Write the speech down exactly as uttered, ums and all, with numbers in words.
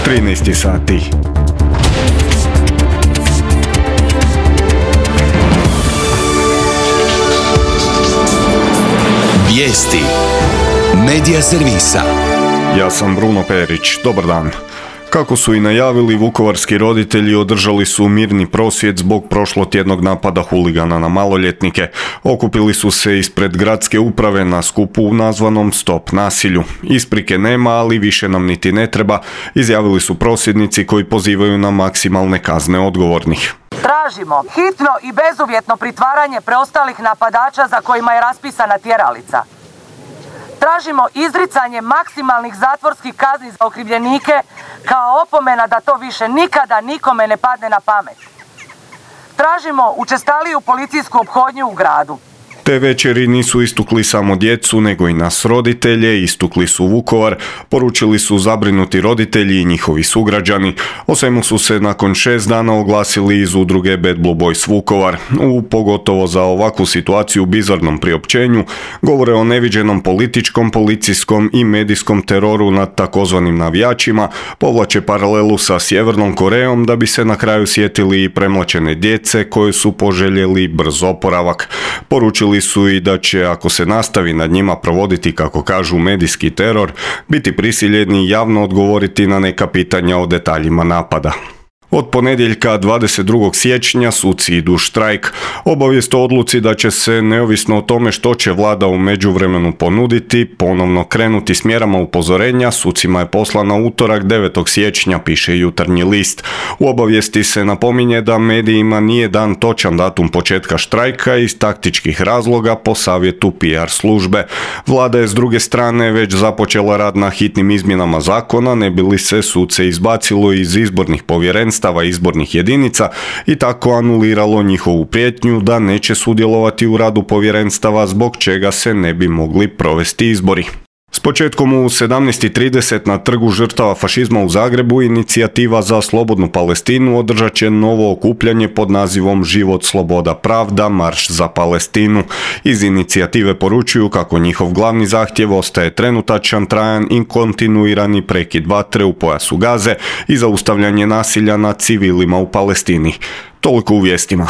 trinaest sati. Vijesti Medija servisa. Ja sam Bruno Perić, dobar dan. Kako su i najavili, vukovarski roditelji održali su mirni prosvjed zbog prošlotjednog napada huligana na maloljetnike. Okupili su se ispred gradske uprave na skupu nazvanom Stop nasilju. Isprike nema, ali više nam niti ne treba, izjavili su prosvjednici koji pozivaju na maksimalne kazne odgovornih. Tražimo hitno i bezuvjetno pritvaranje preostalih napadača za kojima je raspisana tjeralica. Tražimo izricanje maksimalnih zatvorskih kazni za okrivljenike kao opomena da to više nikada nikome ne padne na pamet. Tražimo učestaliju policijsku ophodnju u gradu. Te večeri nisu istukli samo djecu, nego i nas roditelje, istukli su Vukovar, poručili su zabrinuti roditelji i njihovi sugrađani. O svemu su se nakon šest dana oglasili iz udruge Bad Blue Boys Vukovar. U pogotovo za ovakvu situaciju bizarnom priopćenju govore o neviđenom političkom, policijskom i medijskom teroru nad takozvanim navijačima, povlače paralelu sa Sjevernom Korejom da bi se na kraju sjetili i premlačene djece koje su poželjeli brz oporavak. Poručili su i da će, ako se nastavi nad njima provoditi, kako kažu, medijski teror, biti prisiljeni javno odgovoriti na neka pitanja o detaljima napada. Od ponedjeljka dvadeset drugog siječnja suci idu u štrajk. Obavijest o odluci da će se, neovisno o tome što će vlada u međuvremenu ponuditi, ponovno krenuti s mjerama upozorenja, sucima je poslana utorak devetog siječnja, piše Jutarnji list. U obavijesti se napominje da medijima nije dan točan datum početka štrajka iz taktičkih razloga po savjetu P R službe. Vlada je s druge strane već započela rad na hitnim izmjenama zakona, ne bi li se suce izbacilo iz izbornih povjerenstva izbornih jedinica i tako anuliralo njihovu prijetnju da neće sudjelovati u radu povjerenstava, zbog čega se ne bi mogli provesti izbori. S početkom u sedamnaest i trideset na Trgu žrtava fašizma u Zagrebu Inicijativa za slobodnu Palestinu održat će novo okupljanje pod nazivom Život, sloboda, pravda, marš za Palestinu. Iz inicijative poručuju kako njihov glavni zahtjev ostaje trenutačan, trajan i kontinuirani prekid vatre u pojasu Gaze i zaustavljanje nasilja nad civilima u Palestini. Toliko u vijestima.